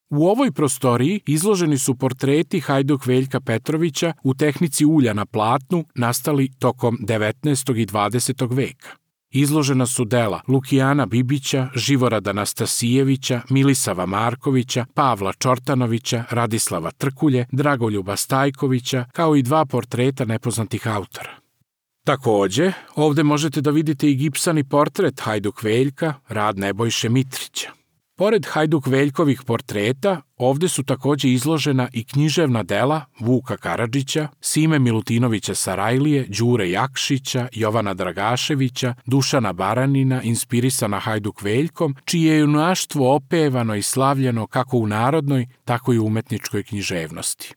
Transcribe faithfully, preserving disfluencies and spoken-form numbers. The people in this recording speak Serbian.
U ovoj prostoriji izloženi su portreti Hajduk Veljka Petrovića u tehnici ulja na platnu nastali tokom devetnaestog i dvadesetog veka. Izložena su dela Lukijana Bibića, Živorada Nastasijevića, Milisava Markovića, Pavla Čortanovića, Radislava Trkulje, Dragoljuba Stajkovića, kao i dva portreta nepoznatih autora. Takođe, ovde možete da vidite i gipsani portret Hajduk Veljka, rad Nebojše Mitrića. Pored Hajduk Veljkovih portreta, ovde su takođe izložena i književna dela Vuka Karadžića, Sime Milutinovića Sarajlije, Đure Jakšića, Jovana Dragaševića, Dušana Baranina, inspirisana Hajduk Veljkom, čije je junaštvo opevano i slavljeno kako u narodnoj, tako i u umetničkoj književnosti.